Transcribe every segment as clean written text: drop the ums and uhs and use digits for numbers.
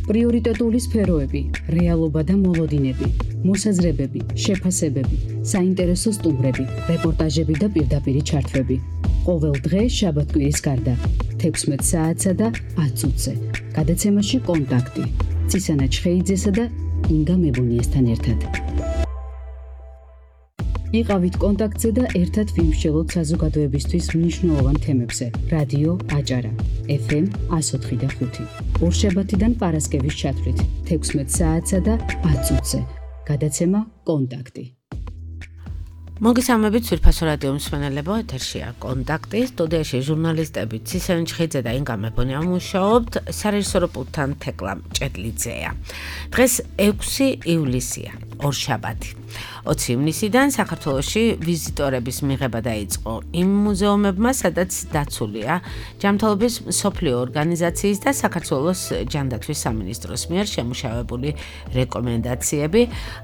პრიორიტეტული სფეროები, რეალობა და მოლოდინები, მოსაზრებები, შეფასებები, საინტერესო სტუმრები, რეპორტაჟები და პირდაპირი ჩართვები. ყოველ დღე შაბათ-კვირის გარდა 16 საათსა და 10 წუთზე. გადაცემაში კონტაქტი. ცისანა ჩხეიძესა და ინგა მებუნიესთან ერთად. იყავით კონტაქტზე და ერთად ვიმსჯელოთ საზოგადოებისთვის მნიშვნელოვან თემებზე. რადიო აჭარა, FM 104.5. ორშაბათიდან პარასკევის ჩათვლით 16 საათსა და 10 წუთზე. გადაცემა კონტაქტი. მოგესალმებით ძვირფასო რადიო მსმენელებო, ეთერშია კონტაქტი, სტუდიაში ჟურნალისტები ცისანა ჩხეიძე და ინგა მებუნია მუშაობთ, სარეჟისორო პულტთან თეკლა მჭედლიძეა. დღეს 6 ივლისია, ორშაბათი. 20 ივნისიდან საქართველოში ვიზიტორების მიღება დაიწყო იმ მუზეუმებმა, სადაც დაცულია ჯანმრთელობის მსოფლიო ორგანიზაციის და საქართველოს ჯანდაცვის სამინისტროს მიერ შემუშავებული რეკომენდაციები.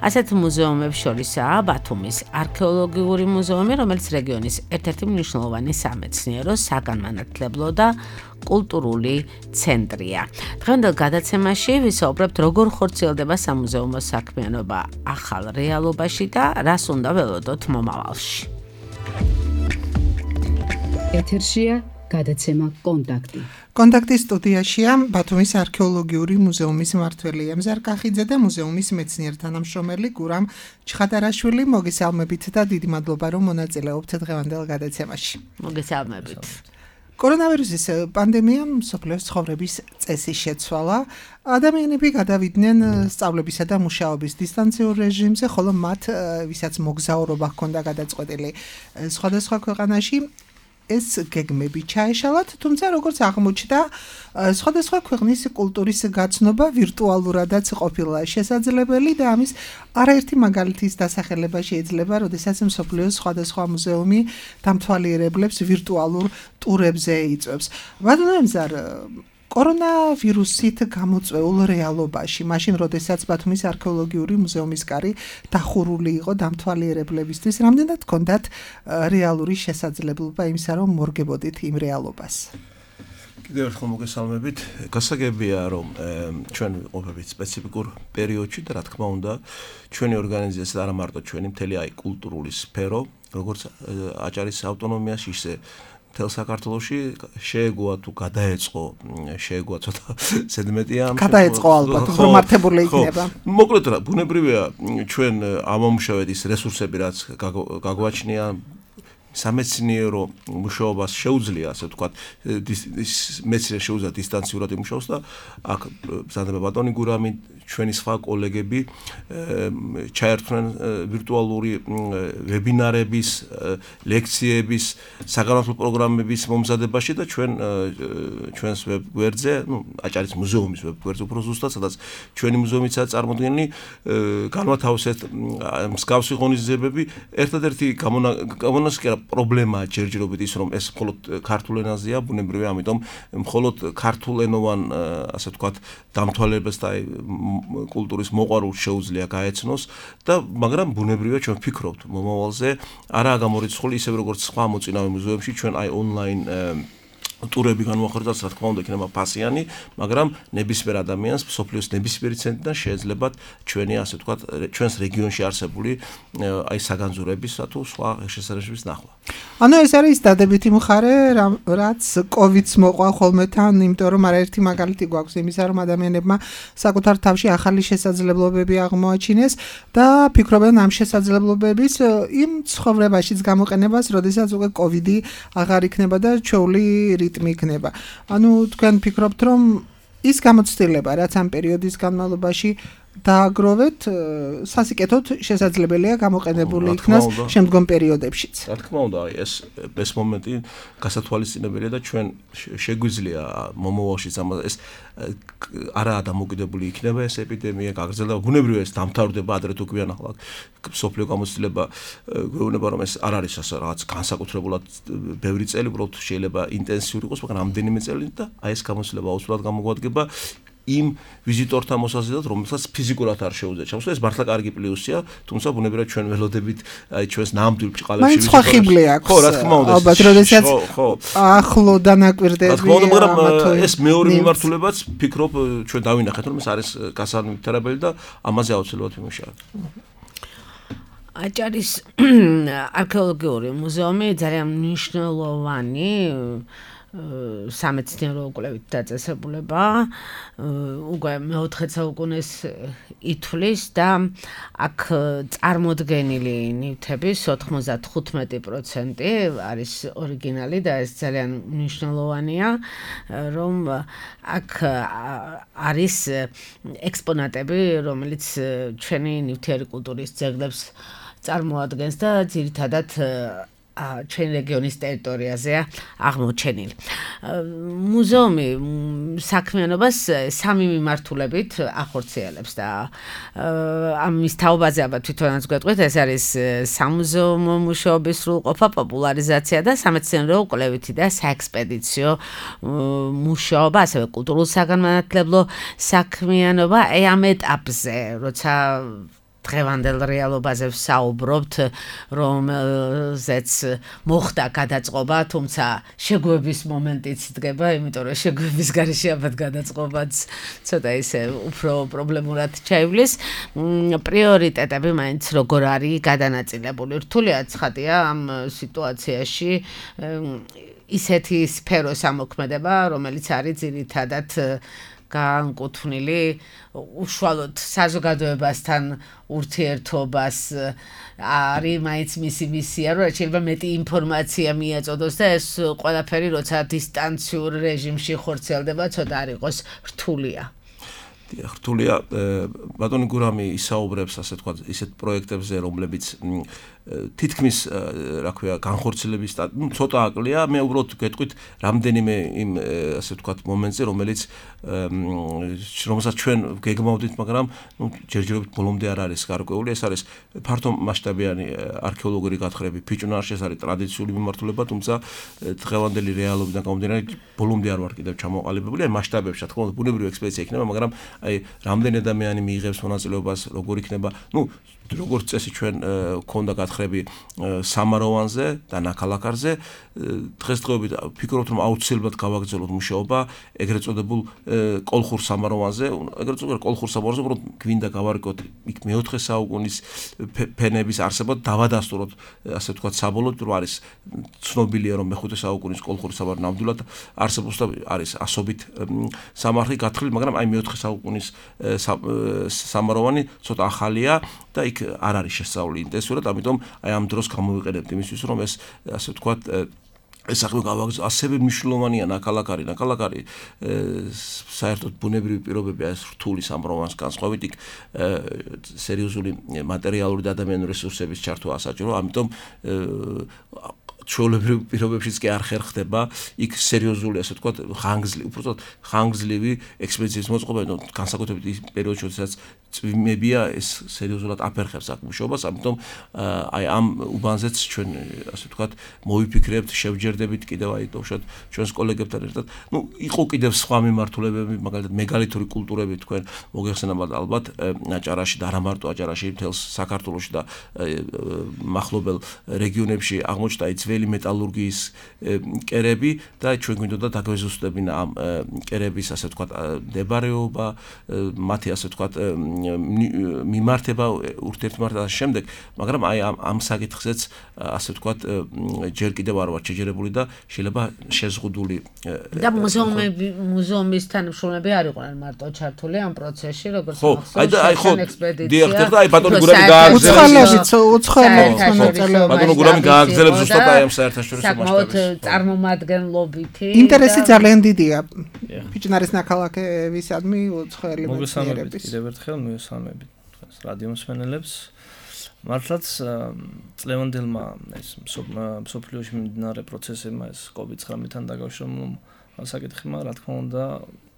ასეთ მუზეუმებს შორისაა ბათუმის არქეოლოგიური მუზეუმი, რომელიც რეგიონის ერთ-ერთი მნიშვნელოვანი სამეცნიერო, საგანმანათლებლო და კულტურული ცენტრია. დღევანდელ გადაცემაში ვისაუბრებთ, როგორ ხორციელდება სამუზეუმო საქმიანობა ახალ რეალობაში და რას უნდა ველოდოთ მომავალში. ეთერშია გადაცემა კონტაქტი. კონტაქტის სტუდიაშია ბათუმის არქეოლოგიური მუზეუმის მმართველი ემზარ კახიძე და მუზეუმის მეცნიერ-თანამშრომელი გურამ ჩხატარაშვილი. მოგესალმებით და დიდი მადლობა, რომ მონაწილეობთ დღევანდელ გადაცემაში. მოგესალმებით. კორონავირუსის პანდემიამ მსოფლიოს ცხოვრების წესი შეცვალა. ადამიანები გადავიდნენ სწავლებისა და მუშაობის დისტანციურ რეჟიმზე, ხოლო მათ, ვისაც მოგზაურობა ჰქონდა გადაწყვეტილი სხვადასხვა ქვეყანაში, ეს გეგმები ჩაეშალათ, თუმცა როგორც აღმოჩნდა, სხვადასხვა ქვეყნის კულტურის გაცნობა ვირტუალურადაც ყოფილა შესაძლებელი და ამის არაერთი მაგალითის დასახელება შეიძლება, როდესაც მსოფლიოს სხვადასხვა მუზეუმი დამთვალიერებლებს ვირტუალურ ტურებზე იწვევს. ბატონო ემზარ, კორონავირუსით გამოწვეულ რეალობაში, მაშინ როდესაც ბათუმის არქეოლოგიური მუზეუმის კარი დახურული იყო დამთვალიერებლებისთვის, რამდენად ჰქონდათ რეალური შესაძლებლობა იმისა, რომ მორგებოდით იმ რეალობას? კიდევ ერთხელ მოგესალმებით. გასაგებია, რომ ჩვენ ვიყოფებით სპეციფიკურ პერიოდში და რა თქმა უნდა, ჩვენი ორგანიზაცია არა მარტო ჩვენი მთელი კულტურული სფერო, როგორც აჭარის ავტონომიაში, ისე მთელ საქართველოში შეეგოა თუ გადაეწყო, შეეგოა ცოტა ზედმეტია. გადაეწყო ალბათ, უფრო მართებული იქნება. მოკლედ რა, ბუნებრივია ჩვენ ამომუშავეთ ის რესურსები, რაც გაგვაჩნია, სამეცნიერო მუშაობას შეუძლია, ასე ვთქვათ, მეცნიერს შეუძლია დისტანციურად იმუშაოს და აქ ბრძანდება ბატონი გურამი, ჩვენი სხვა კოლეგები ჩაერთვნენ ვირტუალური ვებინარების, ლექციების, საგანმანათლებლო პროგრამების მომზადებაში და ჩვენს ვებგვერდზე, აჭარის მუზეუმის ვებგვერდზე უფრო ზუსტად, სადაც ჩვენი მუზეუმიცაა წარმოდგენილი, განვათავსეთ მსგავსი ღონისძიებები. ერთადერთი გამონასკერა პრობლემაა ჯერჯერობით ის, რომ ეს მხოლოდ ქართულ ენაზეა, ბუნებრივია, ამიტომ მხოლოდ ქართულენოვან, ასე ვთქვათ, დამთვალიერებას და კულტურის მოყვარულს შეუძლია გაეცნოს და მაგრამ ბუნებრივია ჩვენ ვფიქრობთ მომავალზე, არაა გამორიცხული ისევე როგორც სხვა მოწინავე მუზეუმებში, ჩვენ ონლაინ ტურები განვახორციელოთ, რა თქმა უნდა, იქნება ფასიანი, მაგრამ ნებისმიერ ადამიანს მსოფლიოს ნებისმიერი ცენტრიდან შეეძლებათ ჩვენი, ასე ვთქვათ, ჩვენს რეგიონში არსებული საგანძურების თუ სხვა შესაძლებლობის ნახვა. ანუ ეს არის დადებითი მხარე, რაც COVID-ს მოყვა ხოლმე თან, იმიტომ რომ არაერთი მაგალითი გვაქვს იმისა, რომ ადამიანებმა საკუთარ თავში ახალი შესაძლებლობები აღმოაჩინეს და ფიქრობენ ამ შესაძლებლობების იმ ცხოვრებაშიც გამოყენებას, როდესაც უკვე COVID-ი აღარ იქნება და ჩვეული რიტმი იქნება. ანუ თქვენ ფიქრობთ, რომ ის გამოცდილება, რაც ამ პერიოდის განმავლობაში დააგროვეთ, სასიკეთოდ შესაძლებელია გამოყენებული იქნას შემდგომ პერიოდებშიც. რა თქმა უნდა, ეს მომენტი გასათვალისწინებელია და ჩვენ შეგვიძლია მომავალშიც ეს არაა დამოკიდებული იქნება ეს ეპიდემია, გაგრძელდება, ბუნებრივია ეს დამთავრდება ადრე თუ გვიან ახლა სოფლიო გამოცდილება გვეუბნება რომ ეს არ არის ასე რაღაც განსაკუთრებულად ბევრი წელი, უბრალოდ შეიძლება ინტენსიური იყოს, მაგრამ რამდენიმე წელი და აი ეს გამოცდილება აუცილებლად გამოგვადგება. იმ ვიზიტორთან მოსაზიდად, რომელსაც ფიზიკურად არ შეუძლია ჩამოსვლა. ეს მართლა კარგი პლუსია, თუმცა ბუნებრივად ჩვენ ველოდებით აი ჩვენს ნამდვილ ბრჭყალებში მაინც სხვა ხიბლი აქვს. ხო, რა თქმა უნდა. ალბათ როდესაც ახლო დანაკვირდები. რა თქმა უნდა, მაგრამ ეს მეორე მიმართულებაც ფიქრობ ჩვენ დავინახეთ, რომ ეს არის გასანიშნავებელი და ამაზე აუცილებლად ვიმუშავებთ. აჭარის არქეოლოგიური მუზეუმი ძალიან მნიშვნელოვანი სამეცნიერო კვლევით დაწესებულება, უკვე მე-4 საუკუნეს ითვლის და აქ წარმოდგენილი ნივთების 95% არის ორიგინალი და ეს ძალიან მნიშვნელოვანია, რომ აქ არის ექსპონატები, რომელიც ჩვენი ნივთიერი კულტურის ძეგლებს წარმოადგენს და ძირითადად ჩვენ რეგიონის ტერიტორიაზეა აღმოჩენილი. მუზეუმი საქმიანობას 3 მიმართულებით ახორციელებს და ამის თაობაზე აბა თვითონაც გვეტყვით, ეს არის სამუზეუმო მუშაობის სრულყოფა, პოპულარიზაცია და სამეცნიერო კვლევითი და საექსპედიციო მუშაობა, ასევე კულტურულ-საგანმანათლებლო საქმიანობა. ამ ეტაპზე, როცა დღევანდელ რეალობაზე ვსაუბრობთ, რომელზეც მოხდა გადაწყობა, თუმცა შეგვების მომენტიც დგება, იმიტომ რომ შეგვების გარეშე აბათ გადაწყობაც ცოტა ისე უფრო პრობლემურად ჩაივლის. პრიორიტეტები მაინც როგორ არის გადანაწილებული. რთულია ცხადია ამ სიტუაციაში ისეთი სფეროს ამოქმედება, რომელიც არის ძირითადად განკუთვნილი უშუალოდ საზოგადოებასთან ურთიერთობას, არის მაინც მისი მისია, რომ შეიძლება მეტი ინფორმაცია მიაწოდოს და ეს ყველაფერი როცა დისტანციურ რეჟიმში ხორციელდება, ცოტა არ იყოს რთულია. რთულია, ბატონი გურამი ისაუბრებს, ასე თქვა, ისეთ პროექტებზე, რომლებიც თითქმის, რა ქვია, განხორციელების ცოტა აკლია, მე უბრალოდ გეტყვით რამდენიმე იმ, ასე თქვა, მომენტზე, რომელსაც ჩვენ გეგმავდით, მაგრამ ჯერჯერობით ბოლომდე არ არის გარკვეული. ეს არის ფართო მასშტაბიანი არქეოლოგიური გათხრები ფიჭვნარში, ეს არის ტრადიციული მიმართულება, თუმცა დღევანდელი რეალობიდან გამომდინარე, ბოლომდე არ ვარ კიდევ ჩამოყალიბებული, აი მასშტაბებში, რა თქმა უნდა, ბუნებრივი ექსპედიცია იქნება, მაგრამ აი რამდენი ადამიანი მიიღებს მონაწილეობას, როგორ იქნება, როგორც წესი ჩვენ გქონდა გათხრები სამაროვანზე და ნაქალაქარზე, დღესდღეობით ფიქრობთ, რომ აუცილებლად გავაგრძელოთ მუშაობა ეგრეთ წოდებულ კოლხურ სამაროვანზე, ეგრეთ წოდებულ კოლხურ სამაროვანზე, უბრალოდ გვინდა გავარკვიოთ იქ მე-4 საუკუნის ფენების არსება, დავადასტუროთ, ასე ვთქვათ, საბოლოოდ, რომ არის ცნობილია, რომ მე-5 საუკუნის კოლხური სამაროვანი ნამდვილად არსებობს და არის ასობით სამარხი გათხრილი, მაგრამ აი მე-4 საუკუნის სამაროვანი ცოტა ახალია და იქ არ არის შესწავლილი ინტენსიურად, ამიტომ აი ამ დროს გამოვიყენებთ იმისთვის, რომ ეს, ასე ვთქვათ, ეს საქმე გავაგრძელოთ. ასევე მნიშვნელოვანია ნაქალაქარი, საერთოდ ბუნებრივი პირობები არის რთული სამროვანს განსხვავებით, იქ სერიოზული მატერიალური და ადამიანური რესურსების ჩართვა ასაჭირო, ამიტომ ჩვეულებრივ პირობებშიც კი არ ხერხდება იქ სერიოზული, ასე ვთქვათ, ხანგრძლივი ექსპედიციის მოწყობა, განსაკუთრებით ის პერიოდში, როდესაც წვიმებია, ეს სერიოზულად აფერხებს აქ მუშაობას, ამიტომ აი ამ უბანზეც ჩვენ, ასე ვთქვათ, მოვიფიქრებთ, შევჯერდებით კიდევ აი თოვშად ჩვენს კოლეგებთან ერთად. იყო კიდევ სხვა მიმართულებები, მაგალითად მეგალითური კულტურები თქვენ მოგეხსენებათ ალბათ აჭარაში და არა მარტო აჭარაში, მთელს საქართველოში და მახლობელ რეგიონებში აღმოჩნდა ძველი მეტალურგიის კერები და ჩვენ გვინდოდა დაგვეზუსტებინა ამ კერების, ასე ვთქვათ, მდებარეობა, მათი, ასე ვთქვათ, მიმართება, ურთიერთმართება და შემდეგ, მაგრამ აი ამ საკითხზეც, ასე ვთქვათ, ჯერ კიდევ არ ვარ შეჯერებული და შეიძლება შეზღუდული და მუზეუმის თანამშრომლები არ იყვნენ მარტო ჩართული ამ პროცესში, როგორც მახსოვს ექსპედიცია. დიახ, და აი ბატონი გურამი გააგრძელებს. ბატონი გურამი გააგრძელებს ზუსტად აი ამ საერთაშორისო მასშტაბის. საკმაოდ წარმომადგენლობითი. ინტერესი ძალიან დიდია. ფიჭვნარის ნაქალაქევისადმი უცხოელი მეცნიერების. კიდევ ერთხელ მივესალმებით თქვენს რადიო მსმენელებს. მართლაც წლევანდელმა ეს მსოფლიოში მიმდინარე პროცესებმა, ეს COVID-19-თან დაკავშირებული საკითხებმა, რა თქმა უნდა,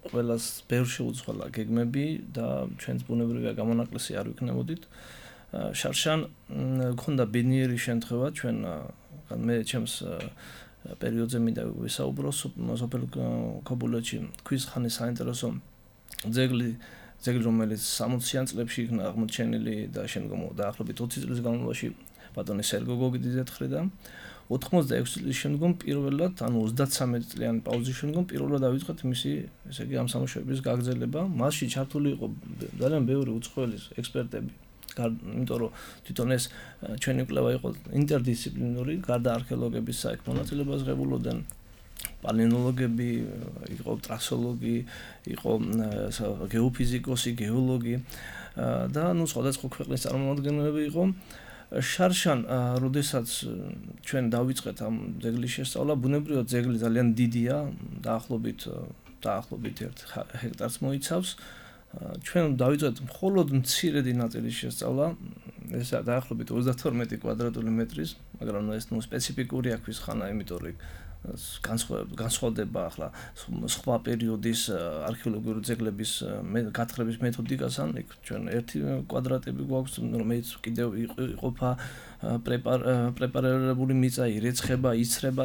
ყველას ბევრ შეუცვალა გეგმები და ჩვენს ბუნებრივია გამონაკლისი არ ვიქნებოდით. შარშან გქონდა ბედნიერი შემთხვევა, ჩვენ მე ჩემს პერიოდზე მინდა ვისაუბრო სოფელ ქობულეთში ქვის ხანის საინტერესო ძეგლი რომელიც 60-იან წლებში იქნა აღმოჩენილი და შემდგომ დაახლოებით 20 წლის განმავლობაში ბატონი სერგო გოგიძის მხრიდან 86 წლის შემდგომ პირველად, ანუ 33 წლიანი პაუზის შემდგომ პირველად დავიწყეთ მისი, ესე იგი, ამ სამუშაოების გაგრძელება. მასში ჩართული იყო ძალიან ბევრი უცხოელი ექსპერტები, იმიტომ რომ თვითონ ეს ჩვენი კვლევა იყო ინტერდისციპლინური, გარდა არქეოლოგების საქმე მონაწილეობას ღებულობდნენ პალეონოლოგები, იყო ტრასოლოგი, იყო გეოფიზიკოსი, გეოლოგი და სხვადასხვა ქვეყნის წარმომადგენლები იყო. შარშან, როდესაც ჩვენ დავიწყეთ ამ ძეგლის შესწავლა, ბუნებრივად ძეგლი ძალიან დიდია, დაახლოებით 1 ჰექტარს მოიცავს. ჩვენ დავიწყეთ მხოლოდ მცირედი ნაწილის შესწავლა, ეს დაახლოებით 32 კვადრატული მეტრის, მაგრამ ეს სპეციფიკურია ქვის ხანა, იმიტომ რომ განსხვავდება ახლა სხვა პერიოდის არქეოლოგიური ძეგლების გათხრების მეთოდიკასთან. იქ ჩვენ 1 კვადრატები გვაქვს, რომელიც კიდევ იყოფა პრეპარირებული მიწა, ირეცხება, იცრება,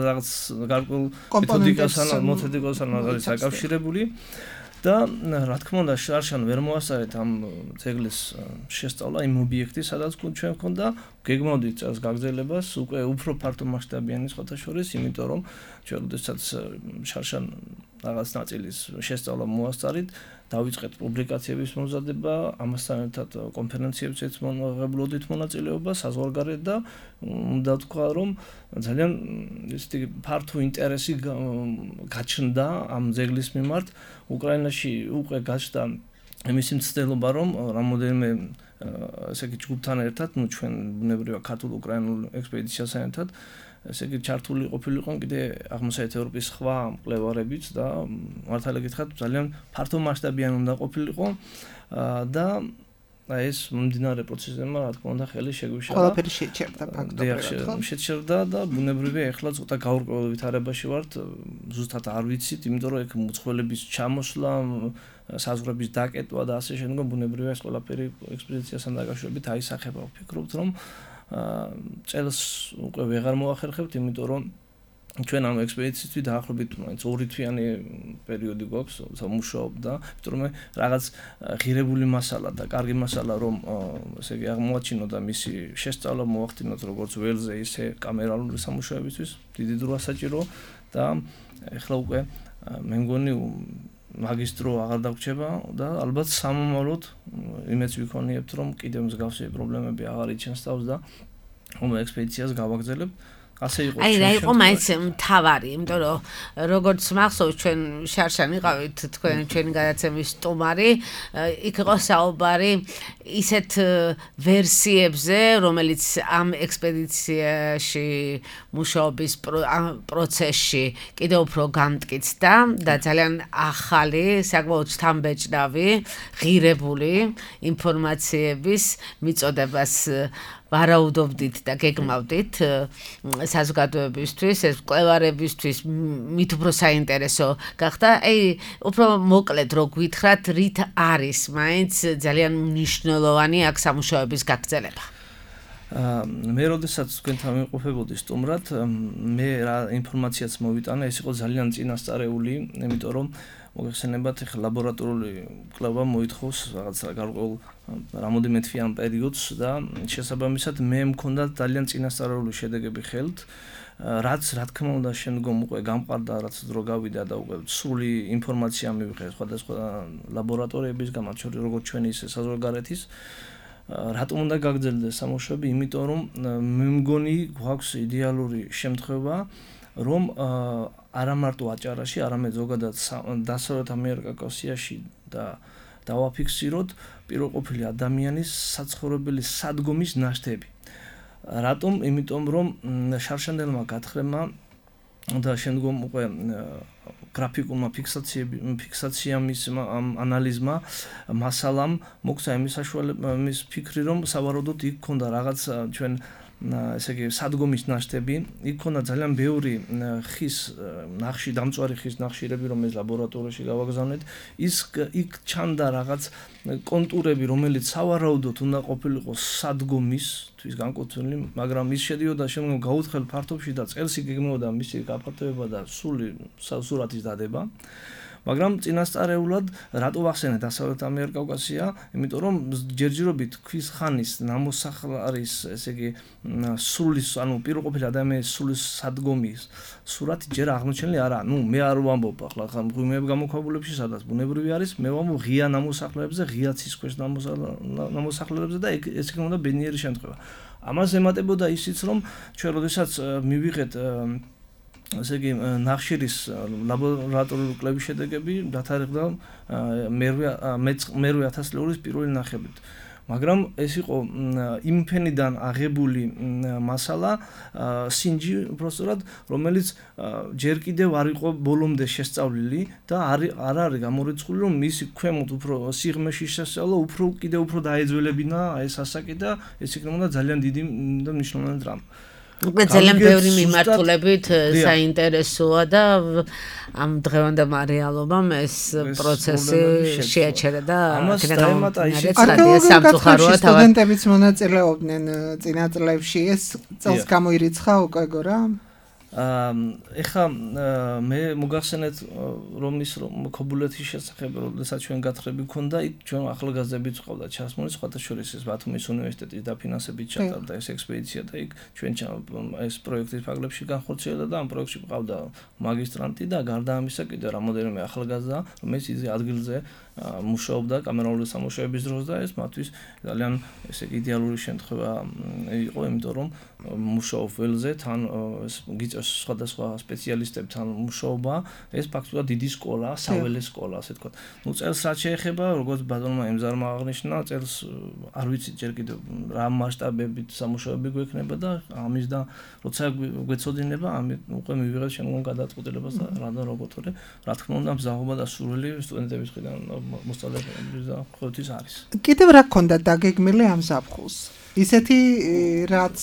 რაღაც გარკვეულ მეთოდიკასთან არის აკავშირებული. და რა თქმა უნდა, შარშან ვერ მოასწარეთ ამ ძეგლის შესწავლა იმ ობიექტის, სადაც ჩვენ გვქონდა გეგმავდით წელს გაგრძელებას, უკვე უფრო ფართო მასშტაბიანი სხვათა შორის, იმიტომ რომ ჩვენ როდესაც შარშან რაღაც ნაწილის შესწავლა მოასწარით, დავიწყეთ პუბლიკაციების მომზადება, ამასთან ერთად კონფერენციებზეც მოღებულობდით მონაწილეობა საზღვარგარეთ და უნდა თქვა, რომ ძალიან ისეთი ფართო ინტერესი გაჩნდა ამ ძეგლის მიმართ. უკრაინაში უკვე გაჩნდა მისი მცდელობა, რომ რამოდენიმე ესე იგი ჯგუფთან ერთად, ჩვენ ბუნებრივად ქართულ-უკრაინულ ექსპედიციასთან ერთად, ესე იგი ჩართული ყოფილიყო კიდე აღმოსავლეთ ევროპის სხვა მკვლევარებიც და მართალი გითხრათ, ძალიან ფართო მასშტაბიანი უნდა ყოფილიყო და ეს მომდინარე პროცესებმა, რა თქმა უნდა, ხელი შეგვიშალა. ყველაფერი შეჩერდა ფაქტობრივად. შეჩერდა და ბუნებრივია ეხლა ცოტა გაურკვეველ ვითარებაში ვართ, ზუსტად არ ვიცით, იმიტომ რომ ეგ მუცხოველების ჩამოსვლა, საზღვრების დაკეტვა და ასე შემდგომ ბუნებრივია ეს ყველაფერი ექსპედიციასთან დაკავშირებით აისახება. ვფიქრობთ, რომ წელს უკვე ვეღარ მოახერხებთ, იმიტომ რომ ჩვენ ამ ექსპედიციისთვის დაახლოებით 2 თვიანი პერიოდი გვაქვს სამუშაობ და იმიტომ რომ რაღაც ღირებული მასალა და კარგი მასალა რომ ესე იგი აღმოაჩინოთ და მისი შესწავლა მოახდინოთ როგორც ველზე ისე კამერალური სამუშაოებისთვის დიდი დრო ასაჭირო და ეხლა უკვე მე მგონი მაგისტრო აღარ დაგვრჩება და ალბათ სამომავლოდ იმეც ვიქონიებთ რომ კიდევ მსგავსი პრობლემები აღარ იჩენს თავს და ამ ექსპედიციას გავაგრძელებთ. აი რა იყო მაინც მთავარი, იმიტომ რომ როგორც მახსოვს ჩვენ შარშან იყავით ჩვენი გადაცემის სტუმარი, იქ იყო საუბარი ისეთ ვერსიებზე, რომელიც ამ ექსპედიციაში მუშაობის პროცესში კიდევ უფრო გამტკიცდა და ძალიან ახალი, საკმაოდ შთამბეჭდავი, ღირებული ინფორმაციების მიწოდებას ვარაუდობდით და გეგმავდით საზოგადოებისთვის, ეს მკვლევარებისთვის მით უფრო საინტერესო გახდა. აი, უფრო მოკლედ რო გვითხრათ, რით არის მაინც ძალიან მნიშვნელოვანი აქ სამუშაოების გაგრძელება. მე როდესაც თქვენთან ვიმყოფებოდი სტუმრად, მე რა ინფორმაციაც მოვიტანა, ეს იყო ძალიან წინასწარეული, იმიტომ რომ მოგეხსენებათ, ახლა ლაბორატორიული კვლევა მოითხოვს რაღაც გარკვეულ რამოდენიმე თვიან პერიოდს და შესაბამისად მე მქონდა ძალიან წინასწარეული შედეგები ხელთ, რაც რა თქმა უნდა შემდგომ უკვე გამყარდა, რაც დრო გავიდა და უკვე სრული ინფორმაცია მივიღე სხვადასხვა ლაბორატორიებისგან, მათ შორის როგორც ჩვენი ისე საზღვარგარეთის. რატომ უნდა გაგრძელდეს სამუშაოები? იმიტომ რომ მე მგონი გვაქვს იდეალური შემთხვევა, რომ არა მარტო აჭარაში, არამედ ზოგადად დასავლეთ ამიერკავკასიაში და დავაფიქსიროთ პიროყოფილი ადამიანის საცხოვრებელი სადგომის ნაშთები. რატომ? იმიტომ რომ შარშანდელმა გათხრებმა და შემდგომ უკვე გრაფიკულმა ფიქსაციამ ანალიზმა მასალამ მოგცა იმის საშუალება, იმის ფიქრი, რომ სავარაუდოდ იქ ქონდა რაღაც ჩვენ ესე იგი სადგომის ნაშთები, იქ ქონდა ძალიან ბევრი ხის ნახში, დამწვარი ხის ნახშირები, რომელიც ლაბორატორიაში გავაგზავნეთ. იქ ჩანდა რაღაც კონტურები, რომელიც სავარაუდოდ უნდა ყოფილიყო სადგომისთვის განკუთვნილი, მაგრამ ის შედიოდა შემდგომ გაუთხელ ფართობში და წელს იგეგმებოდა მისი გაფართოება და სურათის დადება. მაგრამ წინასწარეულად რატო ვახსენე დასავლეთ ამიერკავკასია? იმიტომ რომ ჯერჯერობით ქვის ხანის ნამოსახლარის, ესე იგი, სულის, ანუ პირყოფილი ადამიანის სულის სადგომის სურათი ჯერ აღმოჩენილი არა. მე არ ვამბობ ახლა მღვიმეებ გამოქვაბულებში, სადაც ბუნებრივი არის, მე ვამბობ ღია ნამოსახლარებზე, ღია ცის ქვეშ ნამოსახლარებზე და ეს იქნებოდა ბედნიერი შემთხვევა. ამას ემატებოდა ისიც, რომ ჩვენ როდესაც მივიღეთ ესე იგი ნახშირის ლაბორატორიული კვლევის შედეგები დათარიღდა მერვე 1000 წლების პირველი ნახევრით. მაგრამ ეს იყო იმ ფენიდან აღებული მასალა, სინჯი უბრალოდ, რომელიც ჯერ კიდევ არ იყო ბოლომდე შესწავლილი და არ არის გამორიცხული, რომ მისი ქვემოთ უფრო სიღრმეში შესწავლა კიდევ უფრო დაეძველებინა ეს ასაკი და ეს იქნებოდა ძალიან დიდი და მნიშვნელოვანი დრამა. ძალიან ბევრი მიმართულებით საინტერესოა და ამ დღევანდელ რეალობამ ეს პროცესი შეაჩერა და სამწუხაროა სტუდენტებიც მონაწილეობდნენ წინა წლებში ეს წელს გამოირიცხა უკვე გორა ეხა მე მოგახსენეთ რომ ის ქობულეთის შესახებ როდესაც ჩვენ გათხრები ქონდა იქ ჩვენ ახალგაზრდებიც ყავდა ჩასმული სხვათა შორის ეს ბათუმის უნივერსიტეტის დაფინანსებით ჩატარდა ეს ექსპედიცია და იქ ჩვენ ეს პროექტის ფარგლებში განხორციელდა და ამ პროექტში ყავდა მაგისტრანტი და გარდა ამისა კიდევ რამოდენიმე ახალგაზრდა რომელიც ის ადგილზე მუშაობდა კამერალური სამუშაოების დროს და ეს მათთვის ძალიან ესე იდეალური შემთხვევა იყო იმიტომ რომ მუშაობ ველზე თან ეს გიწევს სხვადასხვა სპეციალისტებთან მუშაობა ეს ფაქტობრივად დიდი სკოლა საველე სკოლა ასე თქვა ნუ წელს რაც შეეხება როგორც ბატონმა ემზარმა აღნიშნა წელს არ ვიცი ჯერ კიდევ რა მასშტაბებით სამუშაოები გვექნება და ამის და როცა გვეცოდინება ამით უკვე მივიღეთ შემდგომ გადაწყვეტილებას და რადგან როგორ რა თქმა უნდა მზაობა და სურვილი სტუდენტების მხრიდან მოსწავლეების და ყოველთვის არის. კიდევ რა გქონდა დაგეგმილი ამ ზაფხულს? ისეთი რაც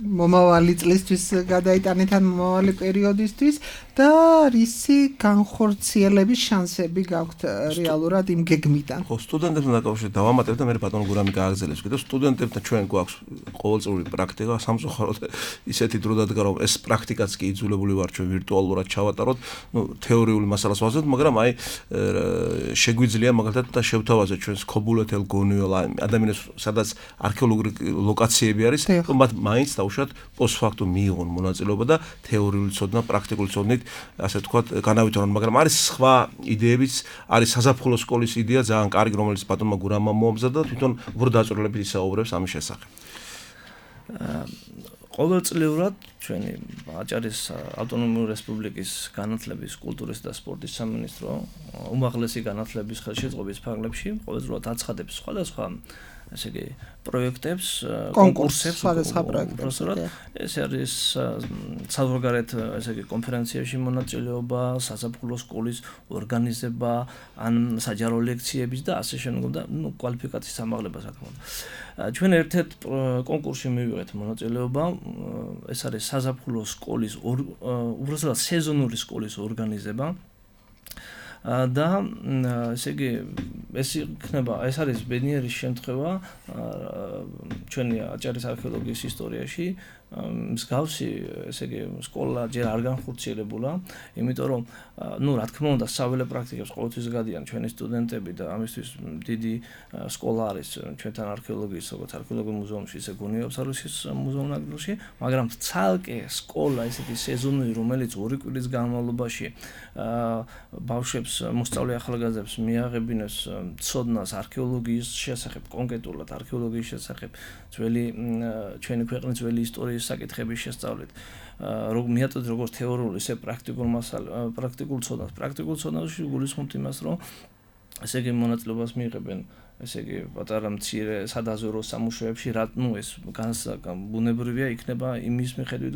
მომავალი წლისთვის გადაიტანეთ ან მომავალი პერიოდისთვის და რისი განხორციელების შანსები გაქვთ რეალურად იმ გეგმიდან? ხო, სტუდენტებთან დაკავშირებით დავამატებ და მე ბატონ გურამი გააგრძელებს. კიდევ სტუდენტებთან ჩვენ გვაქვს ყოველწლიური პრაქტიკა, სამწუხაროდ ისეთი დრო დადგა რომ ეს პრაქტიკაც კი იძულებული ვარ ჩვენ ვირტუალურად ჩავატაროთ, თეორიული მასალას ვაზრდოთ, მაგრამ აი შეგვიძლია მაგალითად და შევთავაზოთ ჩვენს ქობულეთელ გონიოლ ადამიანებს სადაც არქეოლოგიური ლოკაციები არის, რომ მათ მაინც დაუშვათ პოსტფაქტუ მიიღონ მონაწილეობა და თეორიული ცოდნა, პრაქტიკული ცოდნით, ასე ვთქვათ, განავითარონ, მაგრამ არის სხვა იდეებიც, არის საზაფხულო სკოლის იდეა ძალიან კარგი, რომელიც ბატონმა გურამმა მოამზადა და თვითონ უფრო დაწვრილებით ისაუბრებს ამის შესახებ. ყოველწლიურად ჩვენი აჭარის ავტონომიური რესპუბლიკის განათლების, კულტურის და სპორტის სამინისტრო უმაღლესი განათლების ხელშეწყობის ფარგლებში ყოველწლიურად აცხადებს სხვადასხვა ესე იგი პროექტებს, კონკურსებს, სხვადასხვა პროექტებს. ეს არის საზღვარგარეთ ესე იგი კონფერენციებში მონაწილეობა, საზაფხულო სკოლის ორგანიზება, ან საჯარო ლექციების და ასე შემდგომ და კვალიფიკაციის ამაღლება რა თქმა უნდა. ჩვენ ერთ-ერთ კონკურსში მივიღეთ მონაწილეობა, ეს არის საზაფხულო სკოლის უბრალოდ სეზონური სკოლის ორგანიზება. და ესე იგი ეს არის ბედნიერი შემთხვევა ჩვენი აჭარის არქეოლოგიის ისტორიაში მსგავსი ესე იგი სკოლა ჯერ არ განხორციელებულა იმიტომ რომ რა თქმა უნდა საველე პრაქტიკებს ყოველთვის გადიან ჩვენი სტუდენტები და ამისთვის დიდი სკოლა არის ჩვენთან არქეოლოგიის როგორც არქეოლოგიურ მუზეუმში ისე გუნიოფსარუსის მუზეუმ ნაკრძალში მაგრამ ცალკე სკოლა ესეთი სეზონური რომელიც 2 კვირის განმავლობაში ბავშვებს მოსწავლე ახალგაზრდებს მიაღებინებს ცოდნას არქეოლოგიის შესახებ კონკრეტულად არქეოლოგიის შესახებ ჩვენი ქვეყნის ძველი ისტორიის საკითხების შესწავლით მიაწოდეთ როგორც თეორიული ისე პრაქტიკულ ცოდნას პრაქტიკულ ცოდნაში გულისხმობთ იმას რომ ესე იგი მონაწილეობას მიიღებენ ესე იგი პატარა მცირე სადაზვერო სამუშაოებში ეს ბუნებრივია იქნება იმის მიხედვით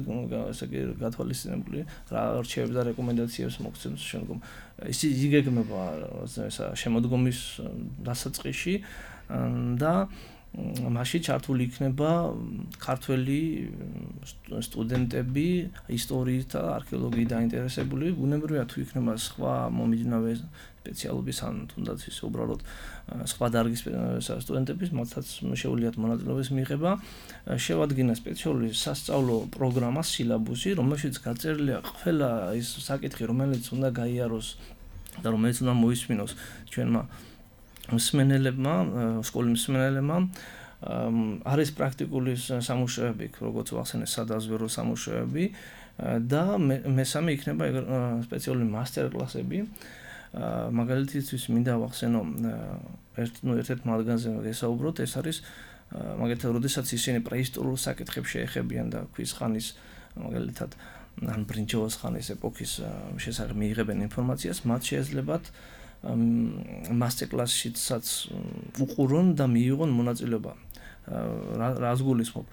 ესე იგი გათვალისწინებული რა არჩევებს და რეკომენდაციებს მოგცემს შემდგომ ის იგეგმება ესა შემოდგომის დასაწყისში და მასში ჩართული იქნება ქართველი სტუდენტები, ისტორიით და არქეოლოგიით დაინტერესებული, ბუნებრივია თუ იქნება სხვა მომიჯნავე სპეციალობის ან თუნდაც ის უბრალოდ სხვა დარგის სტუდენტების, მათაც შეუძლიათ მონაწილეობის მიღება, შევადგინა სპეციალური სასწავლო პროგრამა, სილაბუსი, რომელშიც გაწერილია ყველა ის საკითხი, რომელიც უნდა გაიაროს და რომელიც უნდა მოისმინოს ჩვენმა მსმენელებმა, სკოლის მსმენელებმა. არის პრაქტიკული სამუშაოები, როგორც ვახსენე, სადაზვერო სამუშაოები და მესამე იქნება სპეციალური მასტერკლასები. მაგალითისთვის მინდა ვახსენო ერთ-ერთ მათგანზე გესაუბროთ, ეს არის მაგალითად, როდესაც ისინი პრეისტორიულ საკითხებს შეეხებიან და ქვის ხანის მაგალითად ან ბრინჯაოს ხანის ეპოქის შესახებ მიიღებენ ინფორმაციას, მათ შეეძლებათ მასტერკლასშიც უყურონ და მიიღონ მონაწილეობა. რას გულისხმობ?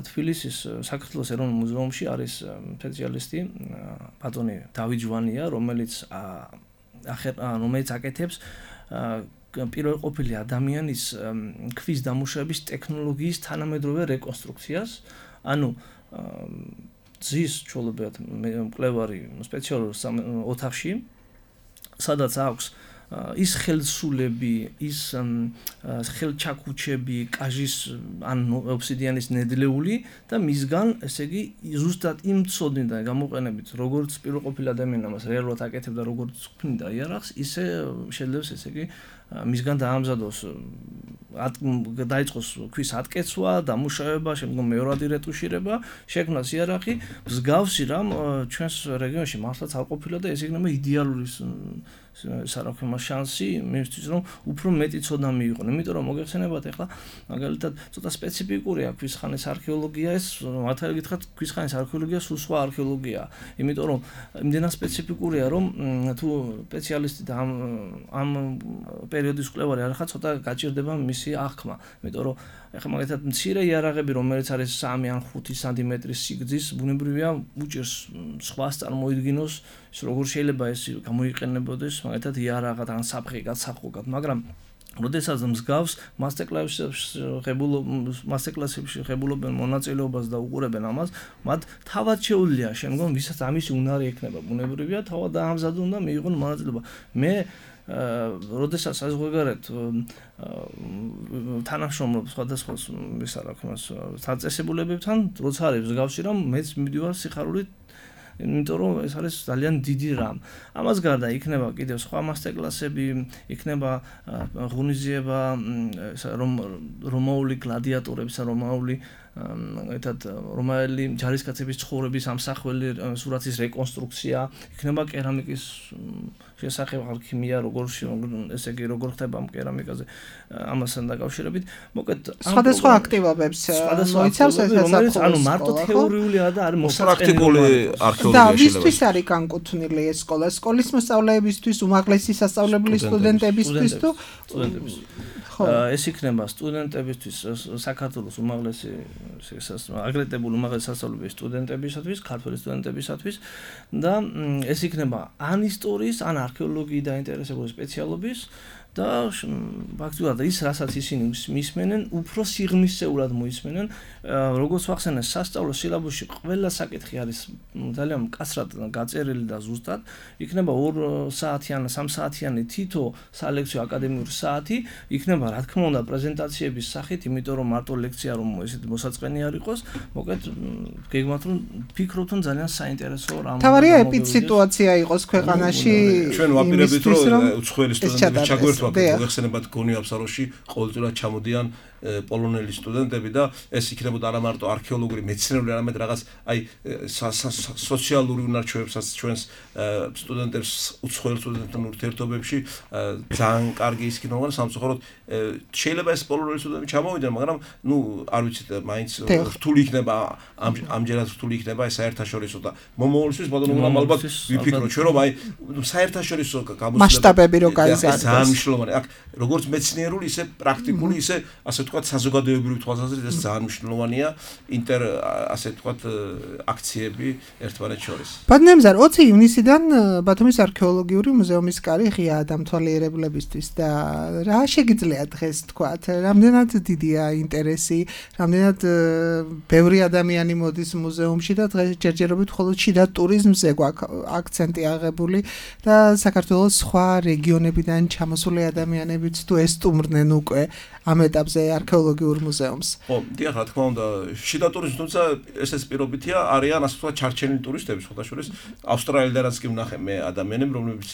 თბილისის საქართველოს ეროვნულ მუზეუმში არის სპეციალისტი ბატონი დავით ჟვანია, რომელიც აკეთებს პირველყოფილი ადამიანის ქვის დამუშავების ტექნოლოგიის თანამედროვე რეკონსტრუქციას, ანუ ძის ჩოლობად მკვლევარი სპეციალურ ოთახში, სადაც აქვს ის ხელსულები, ის ხელჩაქუჩები, კაჟის ან ობსიდიანის ნედლეული და მისგან, ესე იგი, ზუსტად იმ ცოდნიდან გამოყენებით, როგორც პირველყოფილი ადამიანი ამას რეალურად აკეთებდა, როგორც ქმნიდა იარაღს, ისე შეიძლება, ესე იგი, მისგან დაამზადოს დაიწყოს ქვის ატკეცვა, დამუშავება, შემდგომ მეორადი რეტუშირება, შექმნას იარაღი, მსგავსი რამ ჩვენს რეგიონში მართლაც არ ყოფილა და ეს იქნება იდეალური სარაქვემა შანსი იმისთვის, რომ უფრო მეტი ცოდნა მიიღონ. იმიტომ რომ მოგეხსენებათ ახლა მაგალითად ცოტა სპეციფიკურია ქვის ხანის არქეოლოგია, ეს მართალი გითხრათ, ქვის ხანის არქეოლოგია სულ სხვა არქეოლოგიაა. იმიტომ რომ იმდენად სპეციფიკურია, რომ თუ სპეციალისტი და ამ პერიოდის მკვლევარი არ ხარ, ცოტა გაჭირდება მისი აღქმა. იმიტომ რომ ახლა მაგალითად მცირე იარაღები, რომელიც არის 3 ან 5 სანტიმეტრის სიგრძის, ბუნებრივია უჭერს სხვას წარმოიდგინოს, ის როგორ შეიძლება ეს გამოიყენებოდეს, მაგალითად იარაღად ან საფრთხე გასახოგად, მაგრამ როდესაც მსგავს მასტერკლასებში ღებულობენ მონაწილეობას და უყურებენ ამას, მათ თავად შეუძლია შემდგომ ვისაც ამისი უნარი ექნება, ბუნებრივია თავად დაამზადონ და მიიღონ მონაწილეობა. მე როდესაც საზღვარგარეთ თანამშრომლობ სხვადასხვა საწესებულებებთან, როცა არის მსგავსი რამ, მეც მივდივარ სიხარულით, იმიტომ რომ ეს არის ძალიან დიდი რამ. ამას გარდა იქნება კიდევ სხვა მასტერკლასები, იქნება ღონისძიება რომაული გლადიატორებისა, რომაელი ჯარისკაცების ცხოვრების ამსახველი სურათის რეკონსტრუქცია, იქნება კერამიკის შესახებ ალქიმია, ესე იგი როგორ ხდება კერამიკაზე ამასთან დაკავშირებით. მოკლედ სხვადასხვა აქტივობებს მოიცავს ეს რომელიც ანუ მარტო თეორიულია და არის პრაქტიკული არქეოლოგია და ვისთვის არის განკუთვნილი ეს სკოლა? სკოლის მოსწავლეებისთვის, უმაღლესი სასწავლებელი სტუდენტებისთვის თუ ეს იქნება სტუდენტებისთვის, საქართველოს უმაღლესი აგრეთებული უმაღლესი სასწავლებლის სტუდენტებისათვის, ქართველი სტუდენტებისათვის და ეს იქნება ან ისტორიის, ან არქეოლოგიის დაინტერესებული სპეციალობის და ფაქტობრივად ის რასაც ისინი მისმენენ, უფრო სიღრმისეულად მოისმენენ. როგორც ვახსენე, სასწავლო სილაბუსში ყველა საკითხი არის ძალიან მკაცრად გაწერილი და ზუსტად. იქნება 2 საათიანი, 3 საათიანი თითო სალექციო აკადემიური საათი, იქნება რა თქმა უნდა პრეზენტაციების სახით, იმიტომ რომ მარტო ლექცია რომ ესეთი მოსაწყენი არ იყოს, მოკლედ გეგმავთ რომ ფიქრობთ რომ ძალიან საინტერესო რამ. თავარია ეპიდსიტუაცია იყოს ქვეყანაში. ჩვენ ვაპირებთ რომ უცხოელი სტუდენტები ჩაგვერთვა, მოიხსენებათ გონი აბსაროში ყოველწლიურად ჩამოდიან პოლონელი სტუდენტები და ეს იქნებოდა არა მარტო არქეოლოგიური მეცნიერული, არამედ რაღაც აი სოციალური უნარჩვევებსაც ჩვენს სტუდენტებს უცხოელ სტუდენტთან ურთიერთობებში ძალიან კარგი ის იქნება, მაგრამ სამწუხაროდ შეიძლება ეს პოლონელი სტუდენტები ჩამოვიდნენ, მაგრამ ნუ არ ვიცით, მაინც რთული იქნება ამჯერად რთული იქნება ეს საერთაშორისო და მომავალისთვის ბატონო ალბათ ვიფიქროთ ჩვენ რომ აი საერთაშორისო გამოცდილება მასშტაბები რო გაიზარდოს. ძალიან მნიშვნელოვანია. აქ როგორც მეცნიერული, ისე პრაქტიკული, ისე ასე ვთქვათ, საზოგადოებრივი თვალსაზრისით ეს ძალიან მნიშვნელოვანია ასე ვთქვათ, აქციები ერთმანეთს შორის. ბატონემზარ 20 ივნისიდან ბათუმის არქეოლოგიური მუზეუმის კარი ღიაა დამთვალიერებლებისთვის და რა შეგიძლია დღეს თქვათ, რამდენად დიდია ინტერესი, რამდენად ბევრი ადამიანი მოდის მუზეუმში და დღეს ჯერჯერობით მხოლოდ შიდა ტურიზმზე გვაქვს აქცენტი აღებული და საქართველოს სხვა რეგიონებიდან ჩამოსული ადამიანებიც თუ ესტუმრნენ უკვე ამ ეტაპზე არქეოლოგიურ მუზეუმს. ხო, დიახ, რა თქმა უნდა, შიდა ტურიზმი, თუმცა ესეც პირობითია, არიან ასე ვთქვათ ჩარჩენილი ტურისტები, სხვადასხვა ავსტრალიიდანაც კი ვნახე მე ადამიანები, რომლებიც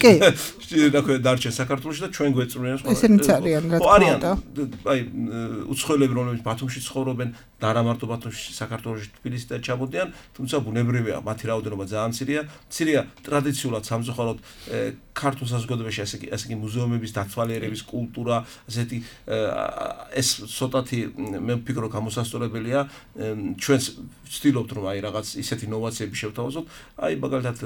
დარჩენ საქართველოში და ჩვენ გვეწრუნიან სხვა. ესენიც არიან, რა თქმა უნდა. აი, უცხოელები, რომლებიც ბათუმში ცხოვრობენ და არა მარტო ბათუმში, საქართველოში, თბილისიდან ჩამოდიან, თუმცა ბუნებრივია, მათი რაოდენობა ძალიან მცირეა, ტრადიციულად სამწუხაროდ ქართულ საზოგადოებაში ასე იგი მუზეუმების დათვალიერების კულტურა, ასეთი ეს ცოტათი მე ვფიქრობ გამოსასწორებელია ჩვენს ვცდილობთ რომ აი რაღაც ისეთი ინოვაციები შევთავაზოთ აი მაგალითად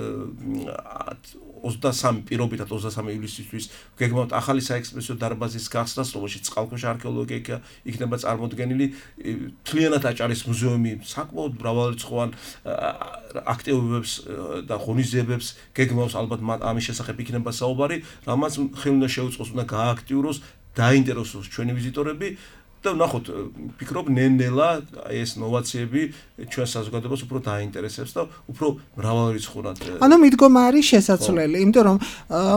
23 პირობითად 23 ივლისისთვის გეგმავთ ახალი საექსპრესიო დარბაზის გახსნას რომელშიც წყალქვეშა არქეოლოგია იქნება წარმოდგენილი მთლიანად აჭარის მუზეუმი საკმაოდ მრავალრიცხოვან აქტივობებს და ღონისძიებებს გეგმავს ალბათ ამის შესახებ იქნება საუბარი რამაც ხელი უნდა შეუწყოს უნდა გაააქტიუროს დაინტერესოს ჩვენი ვიზიტორები და ნახოთ ვფიქრობ ნელ-ნელა ეს ნოვაციები ჩვენ საზოგადოებას უფრო დაინტერესებს და უფრო მრავალრიცხოვან ანუ მიდგომა არის შესაძლებელი იმიტომ რომ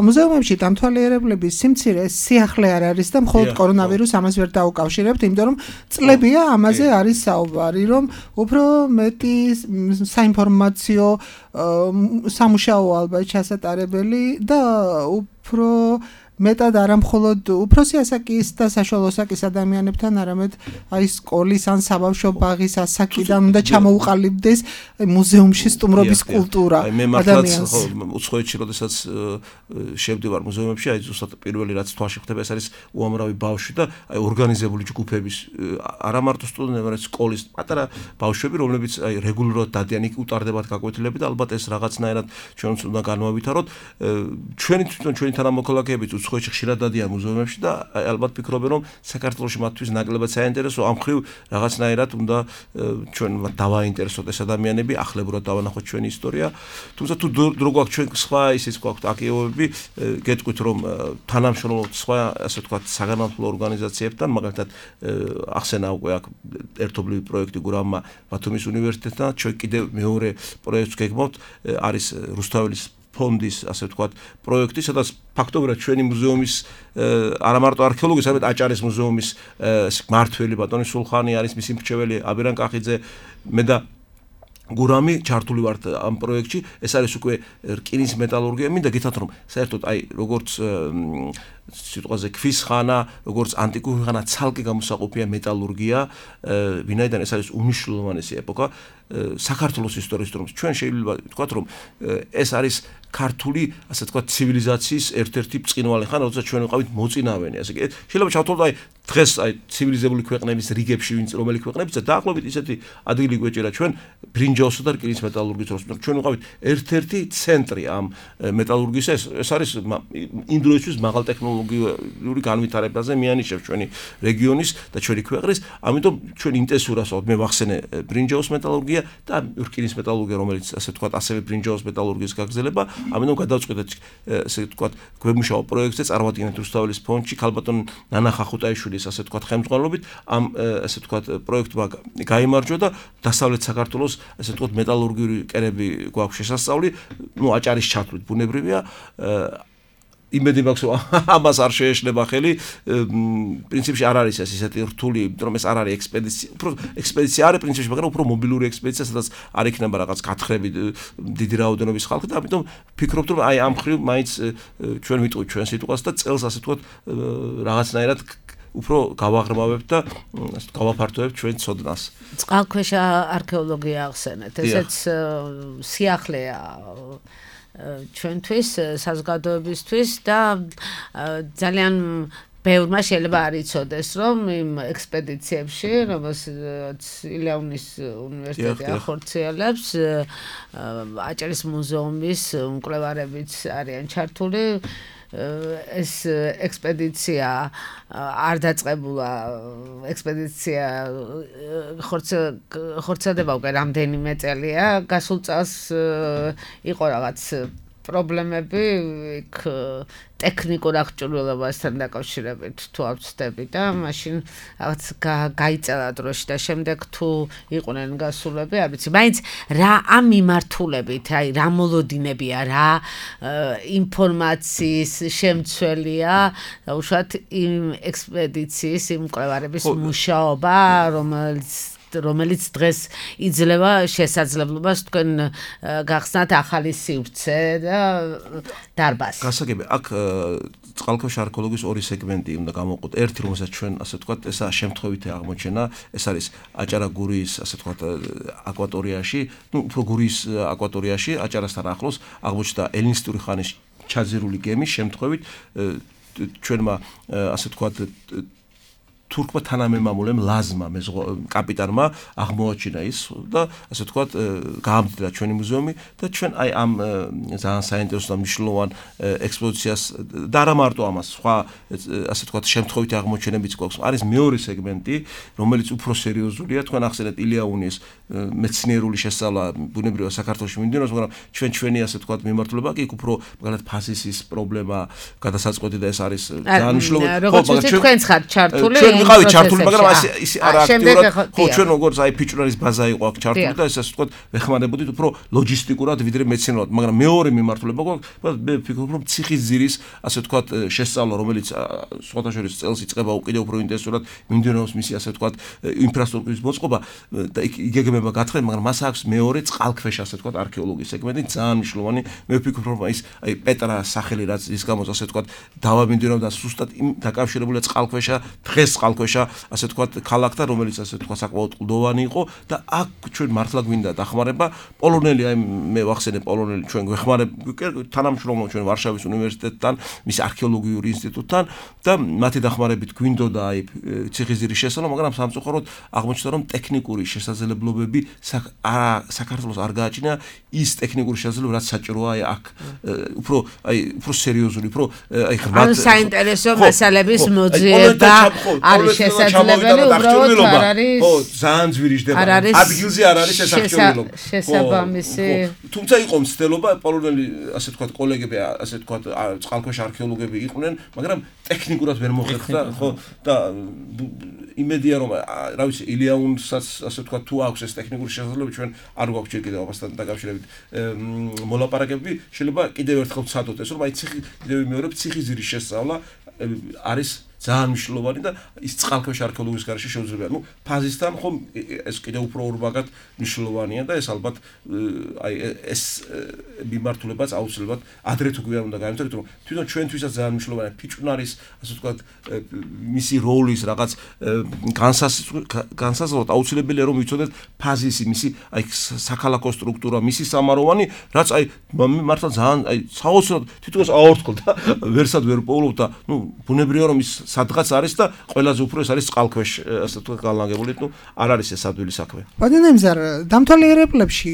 მუზეუმებში დამთვალიერებლების სიმცირე სიახლე არ არის და მხოლოდ კორონავირუსს ამას ვერ დაუკავშირებთ იმიტომ რომ წლებია ამაზე არის საუბარი რომ უფრო მეტი საინფორმაციო სამუშაო ალბათ ჩასატარებელი და უფრო მეტად არა მხოლოდ უფროსი ასაკის და საშუალო ასაკის ადამიანებთან, არამედ აი სკოლის ან საბავშვო ბაღის ასაკიდან უნდა ჩამოუყალიბდეს მუზეუმში სტუმრობის კულტურა. მე მართლაც უცხოეთში როდესაც შევდივარ მუზეუმებში, აი ზუსტად პირველი რაც თვალში ხვდება, ეს არის უამრავი ბავშვი და აი ორგანიზებული ჯგუფების არა მარტო სტუდენტები, არამედ სკოლის პატარა ბავშვები, რომლებიც აი რეგულარულად დადიან იქ უტარდებათ გაკვეთილები და ალბათ ეს რაღაცნაირად ჩვენც უნდა განვავითაროთ. ჩვენი თანამოქალაქეებიც უცხოეთში ხშირად დადიან მუზეუმებში და ალბათ ფიქრობენ რომ საქართველოში მათთვის ნაკლებად საინტერესო ამ ხრივ რაღაცნაირად უნდა ჩვენ დავაინტერესოთ ეს ადამიანები ახლებურად დავანახოთ ჩვენი ისტორია თუმცა თუ დრო გვაქვს ჩვენ სხვა ისიც გვაქვს აქტივობები გეტყვით რომ თანამშრომლობთ სხვა ასე ვთქვათ საგანმანათლებლო ორგანიზაციებთან მაგალითად ახსენა უკვე აქ ერთობლივი პროექტი გურამმა ბათუმის უნივერსიტეტთან ჩვენ კიდევ მეორე პროექტს გეგმავთ არის რუსთაველის ფონდის ასე ვთქვათ პროექტი სადაც ფაქტობრივად ჩვენი მუზეუმის არა მარტო არქეოლოგიის არამედ აჭარის მუზეუმის მმართველი ბატონი სულხანი არის მისი მრჩეველი აბირან კახიძე მე და გურამი ჩართული ვართ ამ პროექტში ეს არის უკვე რკინის მეტალურგია მინდა გითხრათ რომ საერთოდ აი როგორც სიტყვაზე ქვის ხანა როგორც ანტიკური ხანა ცალკე გამოსაყოფია მეტალურგია ვინაიდან ეს არის უნიშნულოვანესი ეპოქა საქართველოს ისტორიის რომ ჩვენ შეიძლება ვთქვათ რომ ეს არის ქართული ასე ვთქვათ ცივილიზაციის ერთ-ერთი ბრწყინვალე ხანა როცა ჩვენ ვიყავით მოწინავენი ასე კი შეიძლება ჩავთვალოთ აი დღეს აი ცივილიზებული ქვეყნების რიგებში ვინც რომელი ქვეყნებიც დაახლოებით ისეთი ადგილი გვეჭირა ჩვენ ბრინჯაოსა და რკინის მეტალურგიის დროს ჩვენ ვიყავით ერთ-ერთი ცენტრი ამ მეტალურგიის ეს არის იმ დროისთვის მაღალ ტექნოლოგიური განვითარებაზე მიანიშნებს ჩვენი რეგიონის და ჩვენი ქვეყნის ამიტომ ჩვენ ინტენსიურად მე ვახსენე ბრინჯაოს მეტალურგია და რკინის მეტალურგია რომელიც ასე ვთქვათ ასევე ბრინჯაოს მეტალურგიის გაგრძელება ამიტომ გადავწყვეტეთ ასე ვთქვათ გვემუშაო პროექტზე წარმოვადგინეთ რუსთაველის ფონდში ქალბატონ ნანა ხახუტაიშვილის ასე ვთქვათ ხელმძღვანელობით ამ ასე ვთქვათ პროექტმა გაიმარჯვა და დასავლეთ საქართველოს ასე ვთქვათ მეტალურგიული კერები გვაქვს შესასწავლი ნუ აჭარის ჩათვლით ბუნებრივია იმედი მაქვს რომ ამას არ შეეშლება ხელი პრინციპში არ არის ეს ისეთი რთული რომ ეს არ არის ექსპედიცია უფრო ექსპედიცია არის პრინციპში მაგრამ უფრო მობილური ექსპედიცია სადაც არ იქნება რაღაც გათხრები დიდი რაოდენობის ხალხი და ამიტომ ვფიქრობთ რომ აი ამ ხრივ მაინც ჩვენ ვიტყვით ჩვენ სიტყვას და წელს ასე ვთქვათ რაღაცნაირად უფრო გავაღრმავებთ და გავაფართოებთ ჩვენ ცოდნას. წყალქვეშა არქეოლოგია ახსენეთ. ესეც სიახლეა ჩვენთვის საზოგადოებისთვის და ძალიან ბევრმა შეიძლება არ იცოდეს რომ იმ ექსპედიციებში რომელსაც ილეონის უნივერსიტეტი ახორციელებს აჭარის მუზეუმის მკვლევარებიც არიან ჩართული ეს ექსპედიცია არ დაწყებულა ექსპედიცია ხორცადება უკვე რამდენიმე წელია გასულ წელს იყო რაღაც პრობლემები იქ ტექნიკურ აღჭურვილობასთან დაკავშირებით თუ ავწდები და მაშინ რაღაც გაიწელა დროში და შემდეგ თუ იყვნენ გასულები არ ვიცი მაინც რა ამ მიმართულებით აი რა მოლოდინებია რა ინფორმაციის შემცველია და უშუალოდ იმ ექსპედიციის იმ მკვლევარების მუშაობა რომელიც დღეს იძლევა შესაძლებლობას თქვენ გახსნათ ახალი სივრცე და დარბაზი. გასაგები, აქ წყალქვეშა არქეოლოგიის ორი სეგმენტი უნდა გამოვყოთ. ერთი, რომელსაც ჩვენ ასე ვთქვათ, ესა შემთხვევითი აღმოჩენა, ეს არის აჭარა-გურიის ასე ვთქვათ აკვატორიაში, უფრო გურიის აკვატორიაში, აჭარასთან ახლოს აღმოჩნდა ელინისტური ხანის ჩაძირული გემი შემთხვევით ჩვენმა ასე ვთქვათ თურქმა თანამემამულემ ლაზმა კაპიტანმა აღმოაჩინა ის და ასე ვთქვათ გაამწრა ჩვენი მუზეუმი და ჩვენ აი ამ ძალიან საინტერესო და მნიშვნელოვან ექსპოზიციას და არა მარტო ამას სხვა ასე ვთქვათ შემთხვევითი აღმოჩენებიც გვაქვს არის მეორე სეგმენტი რომელიც უფრო სერიოზულია თქვენ ახსენეთ ილიაუნის მეცნიერული შესწავლა ბუნებრივად საქართველოში მიმდინარეობს მაგრამ ჩვენი ასე ვთქვათ მიმართულება კი უფრო მაგალითად ფასისის პრობლემა გადასაწყვეტი და ეს არის ძალიან მნიშვნელოვანი ხო მაგრამ თქვენ ხართ ჩართული ვიყავით ჩართული, მაგრამ ის არა აქტიურად. ხო, ჩვენ როგორც აი ფიჭვნარის ბაზა იყო აქ ჩართული და ეს ასე ვთქვათ, ვეხმარებოდით უფრო ლოჯისტიკურად ვიდრე მეცნიერულად, მაგრამ მეორე მიმართულება გვაქვს, მე ვფიქრობ, რომ ციხისძირის ასე ვთქვათ შესწავლა, რომელიც სხვათა შორის წელს იწყება უკიდევ უფრო ინტენსიურად მიმდინარეობს მისი ასე ვთქვათ ინფრასტრუქტურის მოწყობა და იგეგმება გათხრება, მაგრამ მას აქვს მეორე წყალქვეშა ასე ვთქვათ არქეოლოგიის სეგმენტი ძალიან მნიშვნელოვანი. მე ვფიქრობ, რომ ის აი პეტრას სახელი რაც ის გამოც ასე ვთქვათ დავა მიმდინარეობს და სუსტად დაკავშირებულია წყალქვეშა დღეს წყალქვეშა ასე ვთქვათ ქალაქთან რომელიც ასე ვთქვათ საკმაოდ კლდოვანი იყო და აქ ჩვენ მართლა გვინდა დახმარება პოლონელი აი მე ვახსენე პოლონელი ჩვენ გვეხმარებ თანამშრომლობ ჩვენ ვარშავის უნივერსიტეტთან მის არქეოლოგიურ ინსტიტუტთან და მათი დახმარებით გვინდოდა აი ციხისძირის შესწავლა მაგრამ სამწუხაროდ აღმოჩნდა რომ ტექნიკური შესაძლებლობები საქართველოს არ გააჩნია ის ტექნიკური შესაძლებლობა რაც საჭიროა აი აქ უფრო სერიოზული უფრო აი ღრმად საინტერესო მასალების მოძიება არის შესაძლებელი უბრალოდ არ არის ხო ძალიან ძვირიჯდება ადგილზე არ არის ეს არქეოლოგია შესაბამისი თუმცა იყო მცდელობა პოლონელი ასე ვთქვათ კოლეგები ასე ვთქვათ წყალქვეშა არქეოლოგები იყვნენ მაგრამ ტექნიკურად ვერ მოხერხდა ხო და იმედია რომ რა ვიცი ილიაუნსაც ასე ვთქვათ თუ აქვს ეს ტექნიკური შესაძლებლობა ჩვენ არ გვაქვს ჯერ კიდევ ამასთან დაკავშირებით მოლაპარაკებები შეიძლება კიდევ ერთხელ ვცადოთ ეს რომ აი კიდევ მეორე ციხისძირის შესწავლა არის ძალიან მნიშვნელოვანი და ის წყალქვეშა არქეოლოგიის გარშე შეუძლებელია. ნუ ფაზისთან ხომ ეს კიდევ უფრო ურბაგად მნიშვნელოვანია და ეს ალბათ აი ეს მიმართულებაც აუცილებლად ადრე თუ გვიან უნდა გამოვწეროთ რომ თვითონ ჩვენთვისაც ძალიან მნიშვნელოვანია ფიჭვნარის ასე ვთქვათ მისი როლის რაღაც განსაზღვროთ აუცილებელია რომ ვიცოდეთ ფაზისი მისი აი საქალაქო სტრუქტურა მისი სამაროვანი რაც აი მართლა ძალიან აი საოცრად თვითონს აორთქლ და ვერსად ვერ პოულობ და ნუ ბუნებრივია რომ ის სადღაც არის და ყველაზე უფრო ეს არის წყალქვეშ ასე ვთქვათ განლაგებული, ნუ არ არის ეს ადვილი საქმე. ბატონემზარ, დამთვალიერებლებში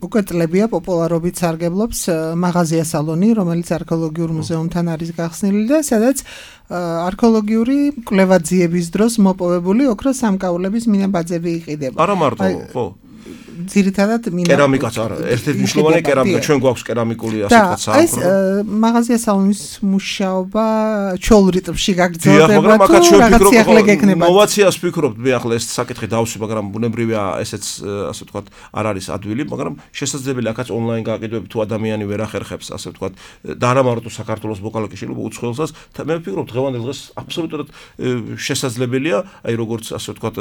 უკვე წლებია პოპულარობით სარგებლობს მაღაზია სალონი, რომელიც არქეოლოგიურ მუზეუმთან არის გახსნილი და სადაც არქეოლოგიური კვლევაძიების დროს მოპოვებული ოქროს სამკაულების მინებაძები იყიდება. არა მარტო, ხო. ძირითადად კერამიკაც არა, ერთ-ერთი მნიშვნელოვანი კერამიკა, ჩვენ გვაქვს კერამიკული ასე ვთქვათ საამქრო. ეს მაღაზია სალონის მუშაობა ჩოლ რიტმში გაგრძელდება თუ რაღაცი ახლა გექნება. ნოვაციას ვფიქრობთ, მე ახლა ეს საკითხი დავსვი, მაგრამ ბუნებრივია ესეც ასე ვთქვათ არ არის ადვილი, მაგრამ შესაძლებელია აქაც ონლაინ გააკეთებები თუ ადამიანი ვერ ახერხებს ასე ვთქვათ და არა მარტო საქართველოს ბოკალაკი შეიძლება უცხოელსაც მე ვფიქრობ დღევანდელ დღეს აბსოლუტურად შესაძლებელია აი როგორც ასე ვთქვათ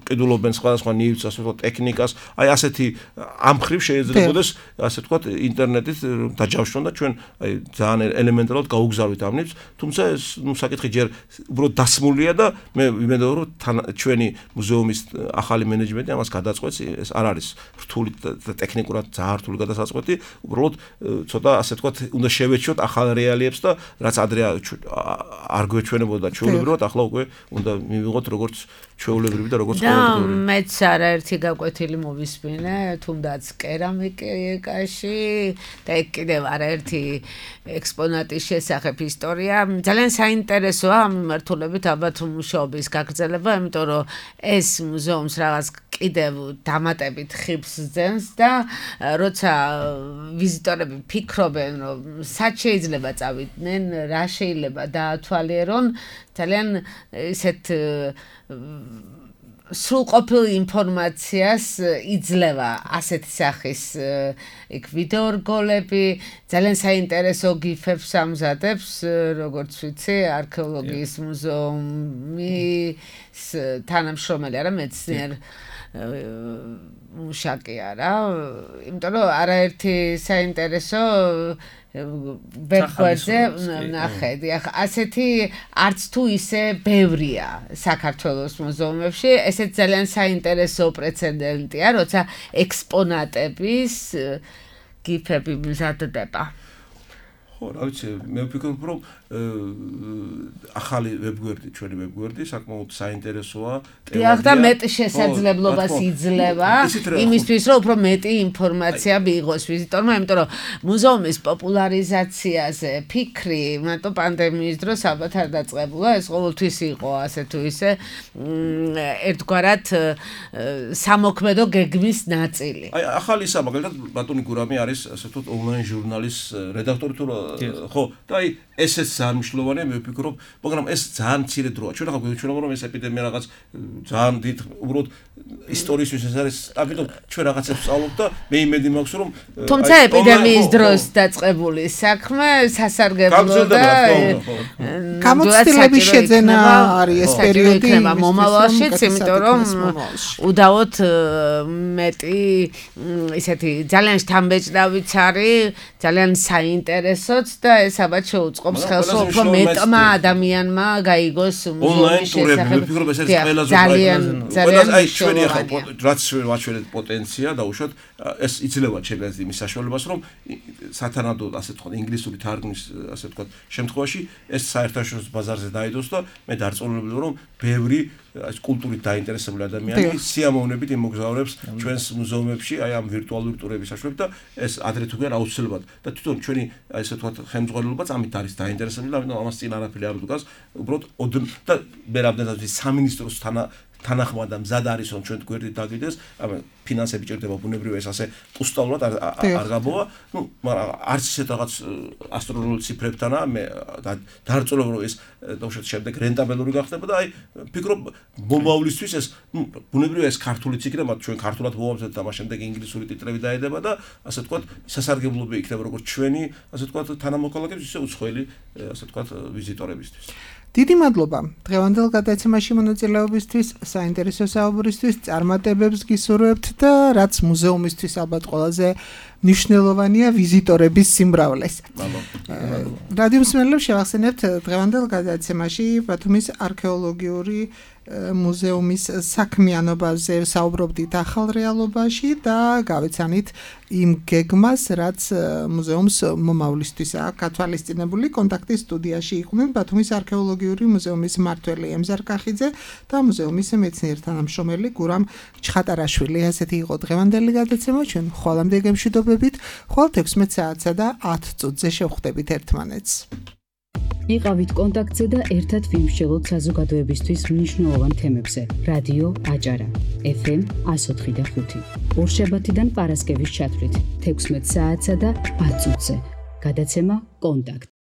ყიდულობენ სხვადასხვა ნივთს ასე ვთქვათ ტექნიკას აი ასეთი ამ ხრივ შეიძლებაოდეს ასე ვთქვათ ინტერნეტით დაჯავშნონ და ჩვენ აი ძალიან ელემენტარულად გაუგზავნით ამ ნივთს თუმცა ეს ნუ საკითხი ჯერ უბრალოდ დასმულია და მე ვიმედოებ რომ ჩვენი მუზეუმის ახალი მენეჯმენტი ამას გადაწყვეტს ეს არ არის რთული და ტექნიკურად ძალიან რთული გადასაწყვეტი უბრალოდ ცოტა ასე ვთქვათ უნდა შევეჩიოთ ახალ რეალიებს და რაც ადრე არ გვეჩვენებოდა ჩვეულებრივად ახლა უკვე უნდა მივიღოთ როგორც ჩვეულებრივი და როგორც ყოველდღიური და მეც არაერთი გაკვეთილი მომისმინე, თუნდაც კერამიკაში და ეგ კიდევ არაერთი ექსპონატის შესახებ ისტორია. ძალიან საინტერესოა ამ მიმართულებით ალბათ მუშაობის გაგრძელება, იმიტომ რომ ეს მუზეუმს რაღაც კიდევ დამატებით ხიბს ძენს და როცა ვიზიტორები ფიქრობენ, რომ სად შეიძლება წავიდნენ, რა შეიძლება დაათვალიერონ, ძალიან ისეთ სრულყოფილ ინფორმაციას იძლევა ასეთი სახის იქ ვიდეორგოლები, ძალიან საინტერესო გიფებს ამზადებს, როგორც ვიცი, არქეოლოგიის მუზეუმის თანამშრომელი არა, მეცნიერ მუშაკი არა, იმიტომ რომ არაერთი საინტერესო ვებგვერდზე ნახეთ. ასეთი არც თუ ისე ბევრია საქართველოს მუზეუმებში, ესეც ძალიან საინტერესო პრეცედენტია, როცა ექსპონატების გიფები მზადდება. ხო, რა ვიცი, მე ვფიქრობ, რომ ახალი ვებგვერდი, ჩვენი ვებგვერდი საკმაოდ საინტერესოა. დიახ, და მეტ შესაძლებლობას იძლევა იმისთვის, რომ უფრო მეტი ინფორმაცია მიიღოს ვიზიტორმა, იმიტომ რომ მუზეუმის პოპულარიზაციაზე ფიქრი მარტო პანდემიის დროს ალბათ არ დაწყებულა, ეს ყოველთვის იყო ასე თუ ისე ერთგვარად სამოქმედო გეგმის ნაწილი. აი, ახალი ისა, მაგალითად, ბატონი გურამი არის ასე ვთქვათ ონლაინ ჟურნალის რედაქტორი თუ ხო, და აი ესეც ძალიან მნიშვნელოვანია, მე ვფიქრობ, მაგრამ ეს ძალიან მცირე დროა. ჩვენ ახლა გვეჩვენება, რომ ეს ეპიდემია რაღაც ძალიან დიდ უბრალოდ ისტორიისთვის ეს არის, ამიტომ ჩვენ რაღაცებს ვსწავლობთ და მე იმედი მაქვს, რომ თუმცა ეპიდემიის დროს დაწყებული საქმე სასარგებლო და გამოცდილების შეძენა არის ეს პერიოდი მომავალშიც, იმიტომ რომ უდავოდ მეტი ისეთი ძალიან შთამბეჭდავიც არის, ძალიან საინტერესოც და ეს ალბათ შეუწყობს ხელს, რომ უფრო მეტმა ადამიანმა გაიგოს მუზეუმის შესახებ. ძალიან ჩვენი ახლა რაც ვაჩვენეთ პოტენცია და უშუალოდ ეს იძლევა ჩემს იმის საშუალებას, რომ სათანადო ასე ვთქვათ ინგლისური თარგმნის ასე ვთქვათ შემთხვევაში ეს საერთაშორისო ბაზარზე დაიდოს და მე დარწმუნებული რომ ბევრი კულტურით დაინტერესებული ადამიანი სიამოვნებით იმოგზაურებს ჩვენს მუზეუმებში აი ამ ვირტუალური ტურების საშუალებით და ეს ადრე თუ გერ აუცილებლად და თვითონ ჩვენი ასე ვთქვათ ხელმძღვანელობაც ამით არის დაინტერესებული, ამიტომ ამას წინ არაფერი არ უდგას, უბრალოდ და მე რამდენად სამინისტროს თანახმად და მზად არის რომ ჩვენ გვერდით დაგიდეს, ფინანსები ჭირდება ბუნებრივია ეს ასე პუსტაულად არ გაბოა, მაგრამ არც ისეთ რაღაც ასტრონომიულ ციფრებთანა მე დარწმუნებული რომ ეს უშუალოდ შემდეგ რენტაბელური გახდება და აი ფიქრობ მომავლისთვის ეს ბუნებრივია ეს ქართულიც იქნება, ჩვენ ქართულად ვუამბობთ და მას შემდეგ ინგლისური ტიტრები დაედება და ასე ვთქვათ სასარგებლობი იქნება როგორც ჩვენი ასე ვთქვათ თანამოქალაქეების ისე უცხოელი ასე ვთქვათ ვიზიტორებისთვის. დიდი მადლობა დღევანდელ გადაცემაში მონაწილეობისთვის, საინტერესო საუბრისთვის, წარმატებებს გისურვებთ და რაც მუზეუმისთვის ალბათ ყველაზე მნიშვნელოვანია ვიზიტორების სიმრავლეს. რადიო მსმენელებს შევახსენებთ დღევანდელ გადაცემაში ბათუმის არქეოლოგიური მუზეუმის საქმიანობაზე საუბრობდით ახალ რეალობაში და გავეცანით იმ გეგმას, რაც მუზეუმს მომავლისთვის აქვს გათვალისწინებული. კონტაქტის სტუდიაში იყვნენ ბათუმის არქეოლოგიური მუზეუმის მმართველი ემზარ კახიძე და მუზეუმის მეცნიერ თანამშრომელი გურამ ჩხატარაშვილი. ასეთი იყო დღევანდელი გადაცემა, ჩვენ ხვალამდე გემშვიდობებით, ხვალ 16 საათსა და 10 წუთზე შევხვდებით ერთმანეთს. იყავით კონტაქტზე და ერთად ვიმსჯელოთ საზოგადოებისთვის მნიშვნელოვან თემებზე. რადიო აჭარა FM 104.5 ორშაბათიდან პარასკევის ჩათვლით 16 საათსა და 10 წუთზე. გადაცემა კონტაქტ